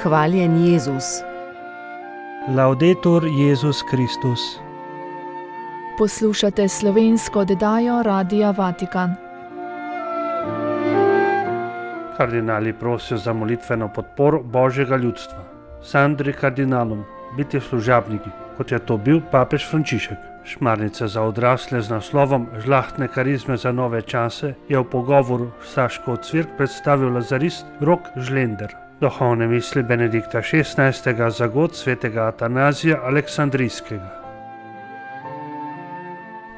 Hvaljen Jezus. Laudetur Jezus Kristus. Poslušate slovensko oddajo Radia Vatikan. Kardinali prosijo za molitveno podporo Božjega ljudstva. Sandri kardinalom, biti služabniki, kot je to bil papež Frančišek. Šmarnica za odrasle z naslovom Žlahtne karizme za nove čase je v pogovoru s Saško Cvirk predstavil lazarist Rok Žlender. Duhovne misli Benedikta XVI. Za god svetega Atanazija Aleksandrijskega.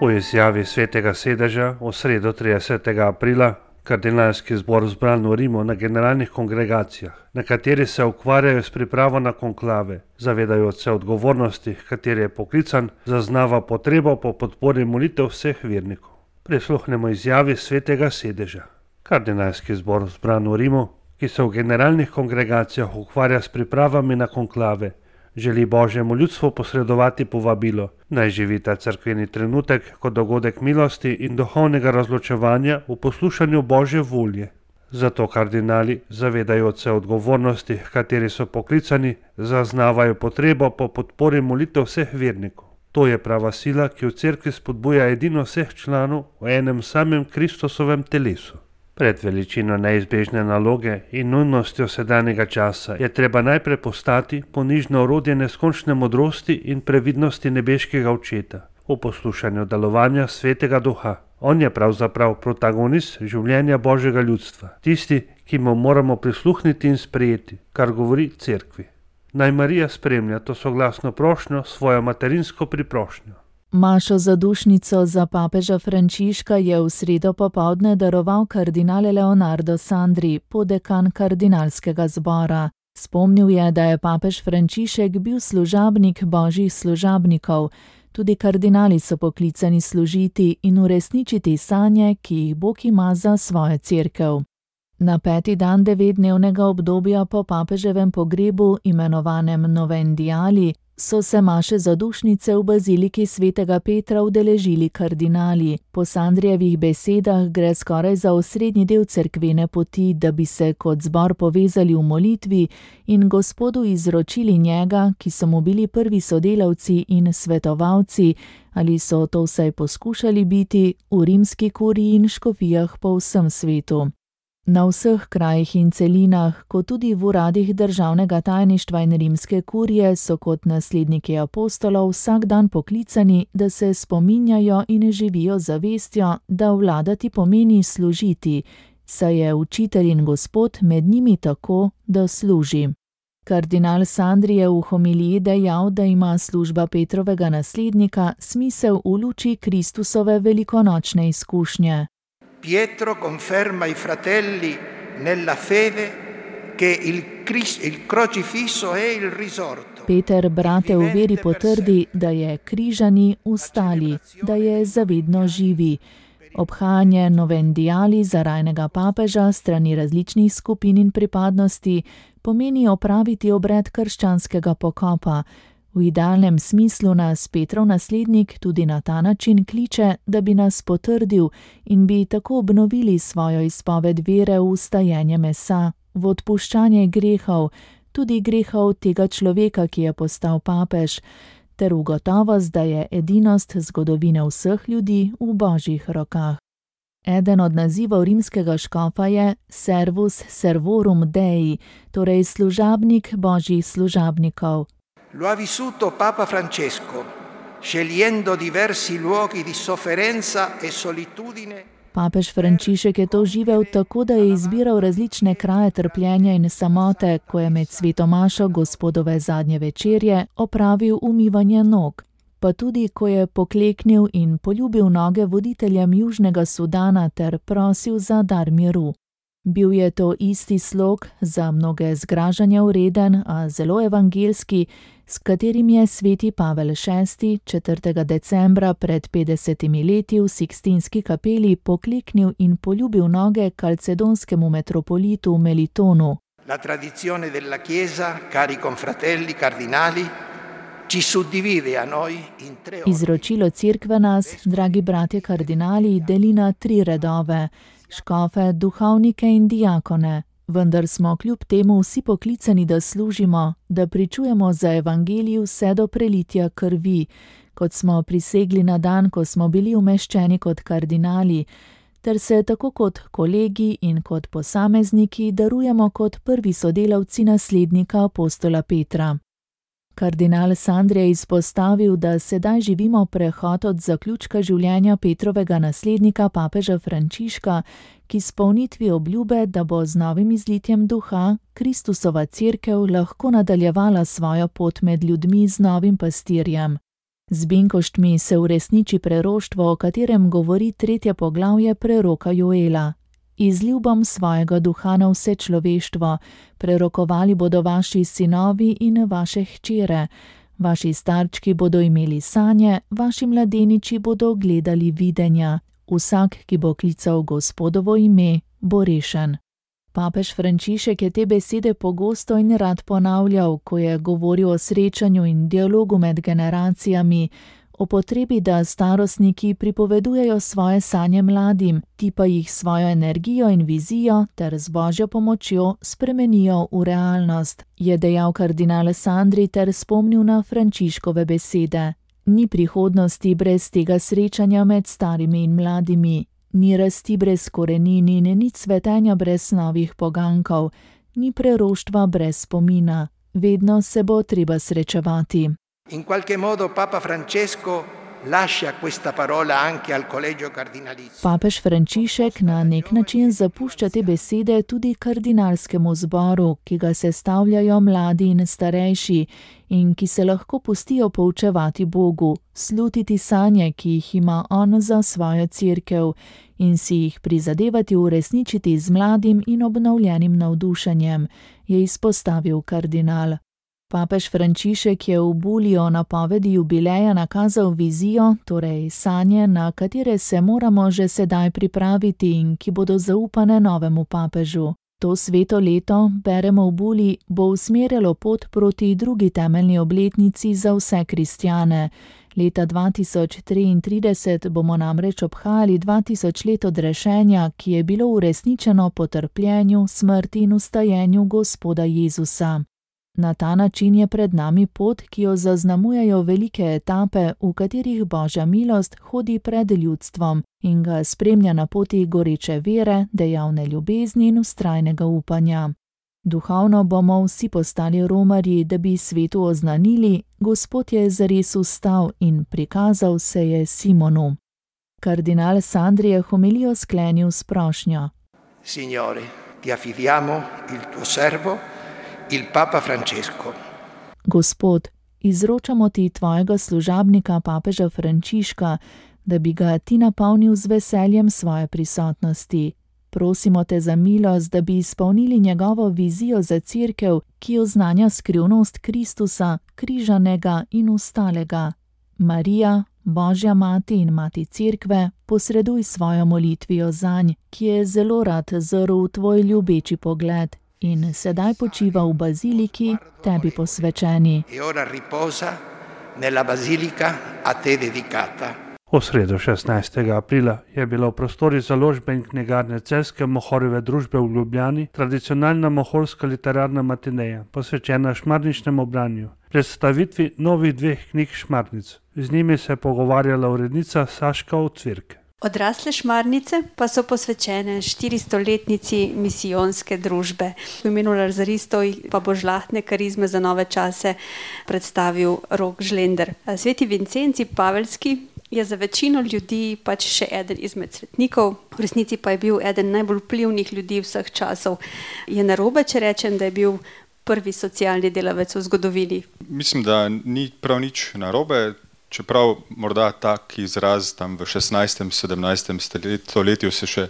V izjavi svetega sedeža v sredo 30. aprila kardinalski zbor zbran v Rimu na generalnih kongregacijah, na kateri se ukvarjajo s pripravo na konklave, zavedajoč se odgovornosti, kateri je poklican, zaznava potrebo po podpori molitev vseh vernikov. Prisluhnemo izjavi svetega sedeža. Kardinalski zbor zbran v Rimu, ki se v generalnih kongregacijah ukvarja s pripravami na konklave, želi Božjemu ljudstvu posredovati povabilo, naj živi ta cerkveni trenutek kot dogodek milosti in duhovnega razločevanja v poslušanju Božje volje. Zato kardinali, zavedajoč se odgovornosti, kateri so poklicani, zaznavajo potrebo po podpori molitev vseh vernikov. To je prava sila, ki v cerkvi spodbuja edino vseh članov v enem samem Kristusovem telesu. Pred veličino neizbežne naloge in nujnostjo sedanjega časa je treba najprej postati ponižno orodje neskončne modrosti in previdnosti nebeškega očeta v poslušanju delovanja svetega duha. On je pravzaprav protagonist življenja Božjega ljudstva, tisti, ki mu moramo prisluhniti in sprejeti, kar govori cerkvi. Naj Marija spremlja to soglasno prošnjo svojo materinsko priprošnjo. Mašo zadušnico za papeža Frančiška je v sredo popoldne daroval kardinal Leonardo Sandri, podekan kardinalskega zbora. Spomnil je, da je papež Frančišek bil služabnik božjih služabnikov. Tudi kardinali so poklicani služiti in uresničiti sanje, ki jih Bog ima za svojo cerkev. Na 5. dan 9-dnevnega obdobja po papeževem pogrebu, imenovanem Novendiali, so se maše zadušnice v baziliki svetega Petra udeležili kardinali. Po Sandrijevih besedah gre skoraj za osrednji del cerkvene poti, da bi se kot zbor povezali v molitvi in Gospodu izročili njega, ki so mu bili prvi sodelavci in svetovalci, ali so to vsaj poskušali biti, v rimski kuriji in škofijah po vsem svetu. Na vseh krajih in celinah, kot tudi v uradih državnega tajništva in rimske kurije, so kot nasledniki apostolov vsak dan poklicani, da se spominjajo in živijo zavestjo, da vladati pomeni služiti, saj je učitelj in Gospod med njimi tako, da služi. Kardinal Sandri je v homiliji dejal, da ima služba Petrovega naslednika smisel v luči Kristusove velikonočne izkušnje. Pietro conferma ai fratelli nella fede che il crocifisso è il risorto. Peter brate v veri potrdi, da je križani ustali, da je zavedno živi. Obhajanje Novendiali za rajnega papeža strani različnih skupin in pripadnosti pomeni opraviti obred krščanskega pokopa. V idealnem smislu nas Petrov naslednik tudi na ta način kliče, da bi nas potrdil in bi tako obnovili svojo izpoved vere v vstajenje mesa, v odpuščanje grehov, tudi grehov tega človeka, ki je postal papež, ter v gotovost, da je edinost zgodovine vseh ljudi v Božjih rokah. Eden od nazivov rimskega škofa je Servus servorum Dei, torej služabnik Božjih služabnikov. Lo ha vissuto Papa Francesco, scegliendo diversi luoghi di sofferenza e solitudine. Papež Frančišek je to živel tako, da je izbiral različne kraje trpljenja in samote, ko je med sveto mašo Gospodove zadnje večerje opravil umivanje nog, pa tudi, ko je pokleknil in poljubil noge voditeljem Južnega Sudana ter prosil za dar miru. Bil je to isti slog, za mnoge zgražanja vreden, a zelo evangelski, s katerim je sveti Pavel VI. 4. decembra pred 50 leti v Sikstinski kapeli pokleknil in poljubil noge kalcedonskemu metropolitu Melitonu. La tradizione della Chiesa, cari confratelli cardinali, ci suddivide a noi in tre ordini. Izročilo cerkve nas, dragi bratje kardinali, deli na 3 redove: škofe, duhovnike in diakone, vendar smo kljub temu vsi poklicani, da služimo, da pričujemo za evangelij vse do prelitja krvi, kot smo prisegli na dan, ko smo bili umeščeni kot kardinali, ter se tako kot kolegi in kot posamezniki darujemo kot prvi sodelavci naslednika apostola Petra. Kardinal Sandri je izpostavil, da sedaj živimo prehod od zaključka življenja Petrovega naslednika papeža Frančiška k izpolnitvi obljube, da bo z novim izlitjem duha Kristusova cerkev lahko nadaljevala svojo pot med ljudmi z novim pastirjem. Z benkoštmi se uresniči preroštvo, o katerem govori 3. poglavje preroka Joela. Izlil bom svojega duha na vse človeštvo, prerokovali bodo vaši sinovi in vaše hčere, vaši starčki bodo imeli sanje, vaši mladeniči bodo gledali videnja, vsak, ki bo klical Gospodovo ime, bo rešen. Papež Frančišek je te besede pogosto in rad ponavljal, ko je govoril o srečanju in dialogu med generacijami, o potrebi, da starostniki pripovedujejo svoje sanje mladim, ti pa jih svojo energijo in vizijo ter z Božjo pomočjo spremenijo v realnost, je dejal kardinal Sandri ter spomnil na Frančiškove besede. Ni prihodnosti brez tega srečanja med starimi in mladimi, ni rasti brez korenin in nič cvetenja brez novih pogankov, ni preroštva brez spomina, vedno se bo treba srečevati. In qualche modo Papa Francesco lascia questa parola anche al Collegio Cardinalizio. Papež Frančišek na nek način zapušča te besede tudi kardinalskemu zboru, ki ga sestavljajo mladi in starejši in ki se lahko pustijo poučevati Bogu, slutiti sanje, ki jih ima on za svojo cerkev in si jih prizadevati uresničiti z mladim in obnovljenim navdušenjem, je izpostavil kardinal. Papež Frančišek je v bulji o napovedi jubileja nakazal vizijo, torej sanje, na katere se moramo že sedaj pripraviti in ki bodo zaupane novemu papežu. To sveto leto, beremo v bulji, bo usmerjalo pot proti drugi temeljni obletnici za vse kristjane. Leta 2033 bomo namreč obhajali 2000 let odrešenja, ki je bilo uresničeno po trpljenju, smrti in vstajenju Gospoda Jezusa. Na ta način je pred nami pot, ki jo zaznamujejo velike etape, v katerih Božja milost hodi pred ljudstvom in ga spremlja na poti goreče vere, dejavne ljubezni in vztrajnega upanja. Duhovno bomo vsi postali romarji, da bi svetu oznanili, Gospod je zares vstal in prikazal se je Simonu. Kardinal Sandri je homilijo sklenil s prošnjo. Signore, ti affidiamo il tuo servo, il Papa Francesco. Gospod, izročamo ti tvojega služabnika papeža Frančiška, da bi ga ti napolnil z veseljem svoje prisotnosti. Prosimo te za milost, da bi izpolnili njegovo vizijo za cerkev, ki oznanja skrivnost Kristusa, križanega in vstalega. Marija, Božja mati in mati cerkve, posreduj svojo molitvijo zanj, ki je zelo rad zrl v tvoj ljubeči pogled in sedaj počiva v baziliki, tebi posvečeni. E ora riposa nella basilica a te dedicata. V sredo 16. aprila je bila v prostorih založbe in knjigarne Celjske Mohorjeve družbe v Ljubljani tradicionalna mohorska literarna matineja, posvečena šmarničnemu branju, predstavitvi novih 2 knjig šmarnic. Z njimi se je pogovarjala urednica Saška Ocvirk. Odrasle šmarnice pa so posvečene 400-letnici misijonske družbe. V imenu lazaristov pa bo žlahtne karizme za nove čase predstavil Rok Žlender. Sveti Vincenci Paveljski je za večino ljudi pač še eden izmed svetnikov, v resnici pa je bil eden najbolj vplivnih ljudi vseh časov. Je narobe, če rečem, da je bil prvi socialni delavec v zgodovini? Mislim, da ni prav nič narobe. Čeprav morda tak izraz tam v 16. 17. stoletju se še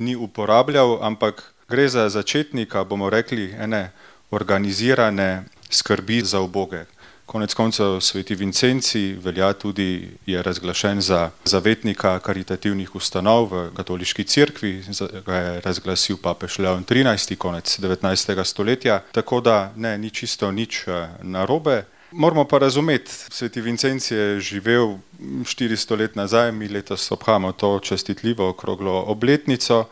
ni uporabljal, ampak gre za začetnika, bomo rekli, ene organizirane skrbi za uboge. Konec koncev sveti Vincenci velja tudi, je razglašen za zavetnika karitativnih ustanov v katoliški cerkvi, ga je razglasil papež Leon XIII. Konec 19. stoletja, tako da ne, ni čisto nič narobe. Moramo pa razumeti, sveti Vincenci je živel 400 let nazaj, mi letos obhajamo to častitljivo okroglo obletnico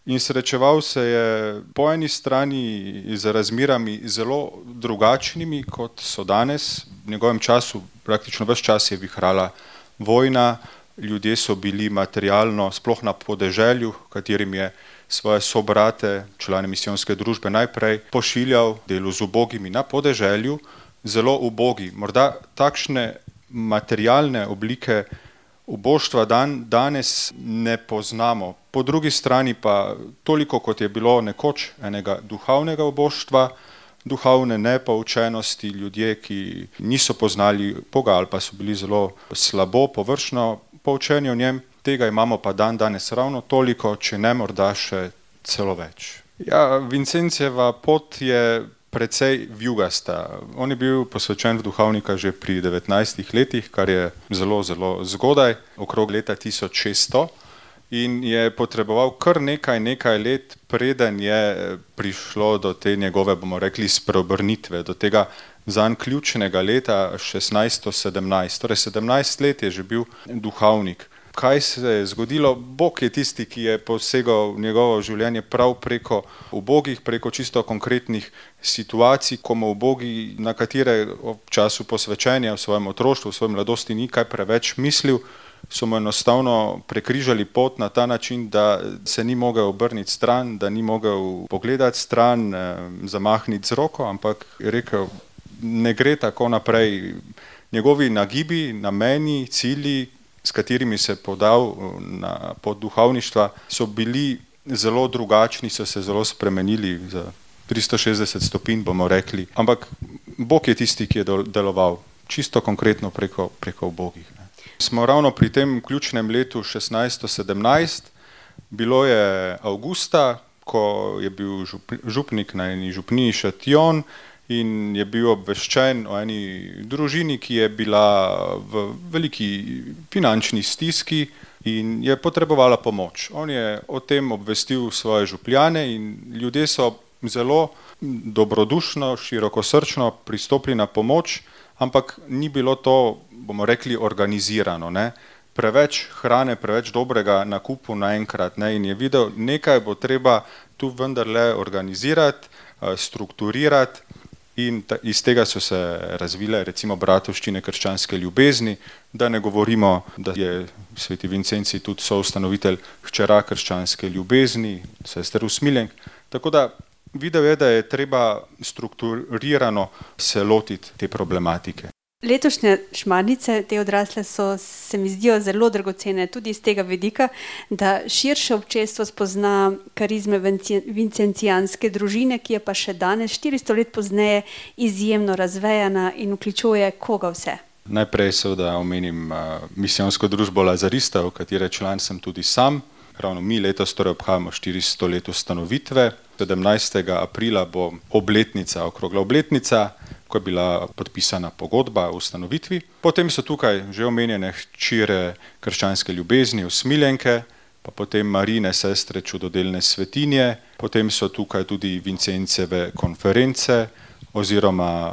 in srečeval se je po eni strani z razmerami zelo drugačnimi, kot so danes. V njegovem času praktično ves čas je vihrala vojna, ljudje so bili materialno, sploh na podeželju, katerim je svoje sobrate, člane misijonske družbe najprej pošiljal delu z ubogimi na podeželju, zelo ubogi. Morda takšne materialne oblike uboštva danes ne poznamo. Po drugi strani pa toliko, kot je bilo nekoč enega duhovnega uboštva, duhovne nepoučenosti, ljudje, ki niso poznali Boga ali pa so bili zelo slabo, površno poučeni o njem, tega imamo pa danes ravno toliko, če ne morda še celo več. Ja, Vincencijeva pot je precej vijugasta. On je bil posvečen v duhovnika že pri 19 letih, kar je zelo, zelo zgodaj, okrog leta 1600, in je potreboval kar nekaj let, preden je prišlo do te njegove, bomo rekli, spreobrnitve, do tega zanj ključnega leta 1617. Torej 17 let je že bil duhovnik. Kaj se je zgodilo? Bog je tisti, ki je posegal v njegovo življenje prav preko ubogih, preko čisto konkretnih situacij, ko mu ubogi, na katere v času posvečenja v svojem otroštvu, v svoji mladosti ni kaj preveč mislil, so mu enostavno prekrižali pot na ta način, da se ni mogel obrniti stran, da ni mogel pogledati stran, zamahniti z roko, ampak je rekel, ne gre tako naprej. Njegovi nagibi, nameni, cilji, s katerimi se je podal na pot duhovništva, so bili zelo drugačni, so se zelo spremenili za 360 stopinj, bomo rekli. Ampak Bog je tisti, ki je deloval čisto konkretno preko ubogih. Smo ravno pri tem ključnem letu 1617, bilo je avgusta, ko je bil župnik na eni župniji Šatjon in je bil obveščen o eni družini, ki je bila v veliki finančni stiski in je potrebovala pomoč. On je o tem obvestil svoje župljane in ljudje so zelo dobrodušno, širokosrčno pristopili na pomoč, ampak ni bilo to, bomo rekli, organizirano, ne? Preveč hrane, preveč dobrega nakupu naenkrat, ne? In je videl, nekaj bo treba tu vendarle organizirati, strukturirati, in iz tega so se razvile recimo bratovščine krščanske ljubezni, da ne govorimo, da je sveti Vincencij tudi soustanovitelj hčera krščanske ljubezni, sester Usmiljenk, tako da videl je, da je treba strukturirano se lotiti te problematike. Letošnje šmarnice, te odrasle so, se mi zdijo zelo dragocene tudi iz tega vidika, da širše občestvo spozna karizme vincentijanske družine, ki je pa še danes, 400 let pozneje, izjemno razvejana in vključuje koga vse. Najprej seveda omenim misijonsko družbo Lazaristov, katere član sem tudi sam. Ravno mi letos torej obhajamo 400 let ustanovitve. 17. aprila bo obletnica, okrogla obletnica, ko je bila podpisana pogodba o ustanovitvi. Potem so tukaj že omenjene hčere krščanske ljubezni, Usmiljenke, pa potem Marijine sestre čudodelne svetinje, potem so tukaj tudi Vincenceve konference oziroma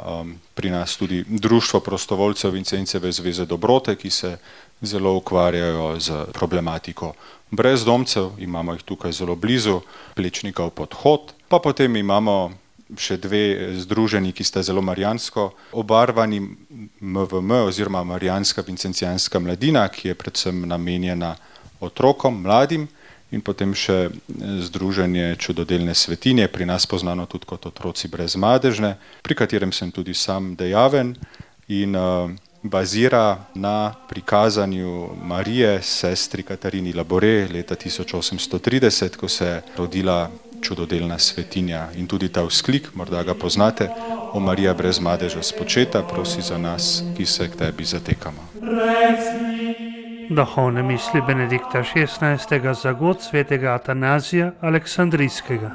pri nas tudi Društvo prostovoljcev Vincenceve zveze dobrote, ki se zelo ukvarjajo z problematiko brezdomcev, imamo jih tukaj zelo blizu, Plečnikov podhod, pa potem imamo še dve združenji, ki sta zelo marijansko obarvani, MVM oziroma Marijanska vincentijanska mladina, ki je predvsem namenjena otrokom, mladim, in potem še združenje čudodelne svetinje, pri nas poznano tudi kot Otroci brezmadežne, pri katerem sem tudi sam dejaven in bazira na prikazanju Marije sestri Katarini Labore leta 1830, ko se je rodila čudodelna svetinja, in tudi ta vzklik, morda ga poznate, o Marija brez madeža spočeta, prosi za nas, ki se k tebi zatekamo. Duhovne misli Benedikta XVI. Za god svetega Atanazija Aleksandrijskega.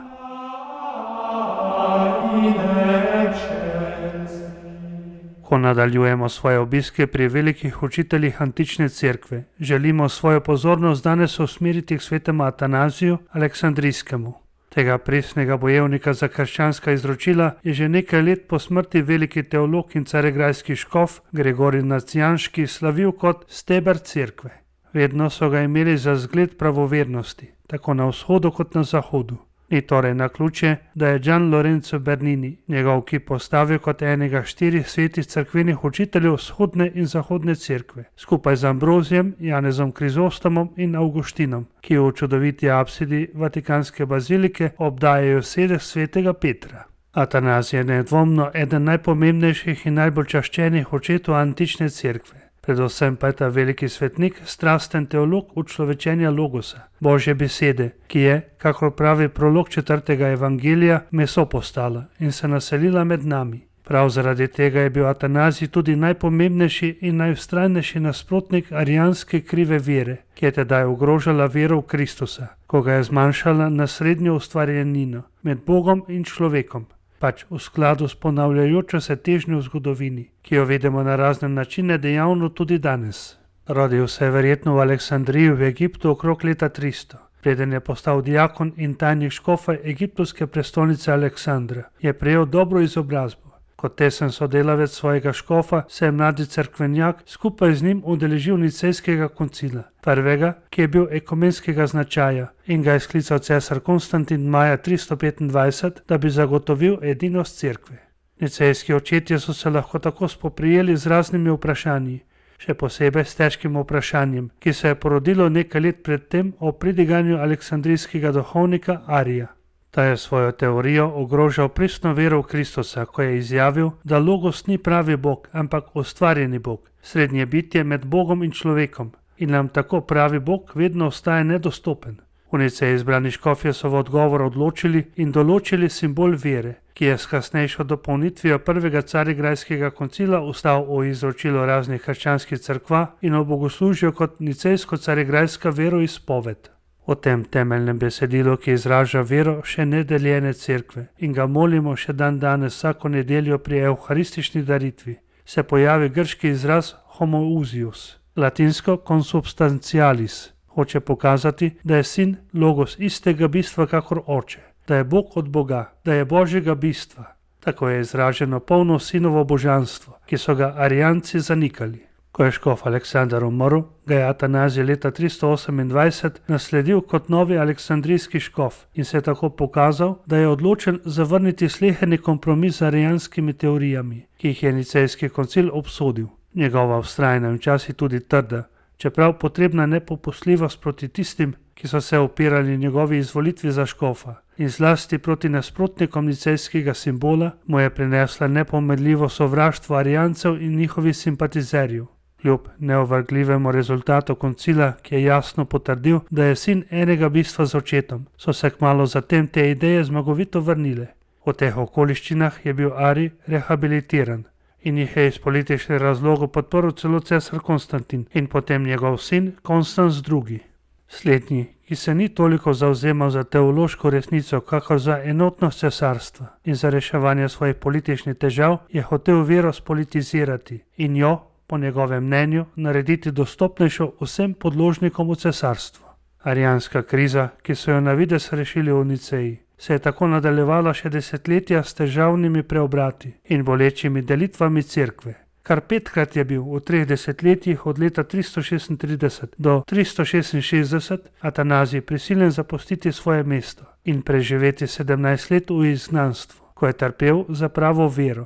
Ko nadaljujemo svoje obiske pri velikih učiteljih antične cerkve, želimo svojo pozornost danes usmeriti k svetemu Atanaziju Aleksandrijskemu. Tega presnega bojevnika za krščanska izročila je že nekaj let po smrti veliki teolog in caregrajski škof Gregorij Nacijanški slavil kot steber cerkve. Vedno so ga imeli za zgled pravovernosti, tako na vzhodu kot na zahodu. Ni torej naključje, da je Gian Lorenzo Bernini njegov kip postavil kot enega 4 svetih cerkvenih učiteljev vzhodne in zahodne cerkve, skupaj z Ambrozijem, Janezom Krizostomom in Avguštinom, ki v čudoviti apsidi Vatikanske bazilike obdajajo sedež svetega Petra. Atanazij je nedvomno eden najpomembnejših in najbolj čaščenih očetov antične cerkve. Predvsem pa je ta veliki svetnik strasten teolog učlovečenja logosa, Božje besede, ki je, kakor pravi prolog 4. evangelija, meso postala in se naselila med nami. Prav zaradi tega je bil Atanazij tudi najpomembnejši in najvztrajnejši nasprotnik arijanske krive vere, ki je tedaj ogrožala vero v Kristusa, ko ga je zmanjšala na srednjo ustvarjenino med Bogom in človekom, pač v skladu s ponavljajočo se težnjo v zgodovini, ki jo vidimo na razne načine dejavno tudi danes. Rodil se je verjetno v Aleksandriji v Egiptu okrog leta 300. Preden je postal diakon in tajnik škofa egiptovske prestolnice Aleksandra, je prejel dobro izobrazbo. Kot tesen sodelavec svojega škofa se je mladi cerkvenjak skupaj z njim udeležil nicejskega koncila, prvega, ki je bil ekumenskega značaja in ga je sklical cesar Konstantin maja 325, da bi zagotovil edinost cerkve. Nicejski očetje so se lahko tako spoprijeli z raznimi vprašanji, še posebej s težkim vprašanjem, ki se je porodilo nekaj let predtem o pridiganju aleksandrijskega duhovnika Arija. Ta je svojo teorijo ogrožal pristno vero v Kristusa, ko je izjavil, da Logos ni pravi Bog, ampak ustvarjeni Bog, srednje bitje med Bogom in človekom, in nam tako pravi Bog vedno ostaja nedostopen. V Niceji izbrani škofje so v odgovor odločili in določili simbol vere, ki je s kasnejšo dopolnitvijo prvega carigrajskega koncila ustal v izročilo raznih krščanskih cerkva in v bogoslužju kot nicejsko-carigrajska veroizpoved. O tem temeljnem besedilu, ki izraža vero še nedeljene cerkve in ga molimo še dan danes vsako nedeljo pri evharistični daritvi, se pojavi grški izraz homoousios, latinsko consubstantialis. Hoče pokazati, da je sin logos istega bistva kakor oče, da je Bog od Boga, da je Božjega bistva. Tako je izraženo polno sinovo božanstvo, ki so ga arijanci zanikali. Ko je škof Aleksandar umrl, ga je Atanazij leta 328 nasledil kot novi aleksandrijski škof in se je tako pokazal, da je odločen zavrniti sleherni kompromis z arijanskimi teorijami, ki jih je nicejski koncil obsodil. Njegova vztrajna in včasih tudi trda, čeprav potrebna nepopustljivost proti tistim, ki so se upirali njegovi izvolitvi za škofa, in zlasti proti nasprotnikom nicejskega simbola, mu je prinesla nepomedljivo sovraštvo arijancev in njihovih simpatizerjev. Kljub neovrgljivemu rezultatu koncila, ki je jasno potrdil, da je sin enega bistva z očetom, so se kmalu zatem te ideje zmagovito vrnile. V teh okoliščinah je bil Arij rehabilitiran in jih je iz političnih razlogov podprl celo cesar Konstantin in potem njegov sin Konstans II. Slednji, ki se ni toliko zavzemal za teološko resnico, kakor za enotnost cesarstva in za reševanje svojih političnih težav, je hotel vero spolitizirati in jo, po njegovem mnenju, narediti dostopnejšo vsem podložnikom v cesarstvu. Arijanska kriza, ki so jo na videz rešili v Niceji, se je tako nadaljevala še desetletja s težavnimi preobrati in bolečimi delitvami cerkve. Kar 5-krat je bil v 3 desetletjih od leta 336 do 366 Atanazij prisiljen zapustiti svoje mesto in preživeti 17 let v izgnanstvu, ko je trpel za pravo vero.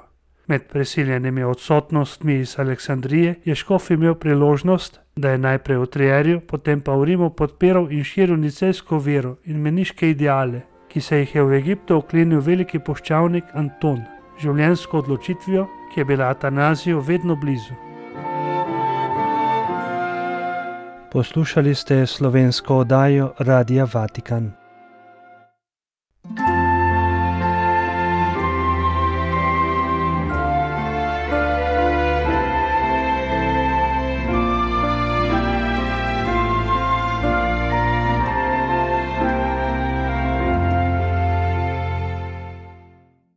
Med prisiljenimi odsotnostmi iz Aleksandrije je škof imel priložnost, da je najprej v Trierju, potem pa v Rimu podpiral in širil nicejsko vero in meniške ideale, ki se jih je v Egiptu oklenil veliki puščavnik Anton, življenjsko odločitvijo, ki je bila Atanaziju vedno blizu. Poslušali ste slovensko oddajo Radia Vatikan.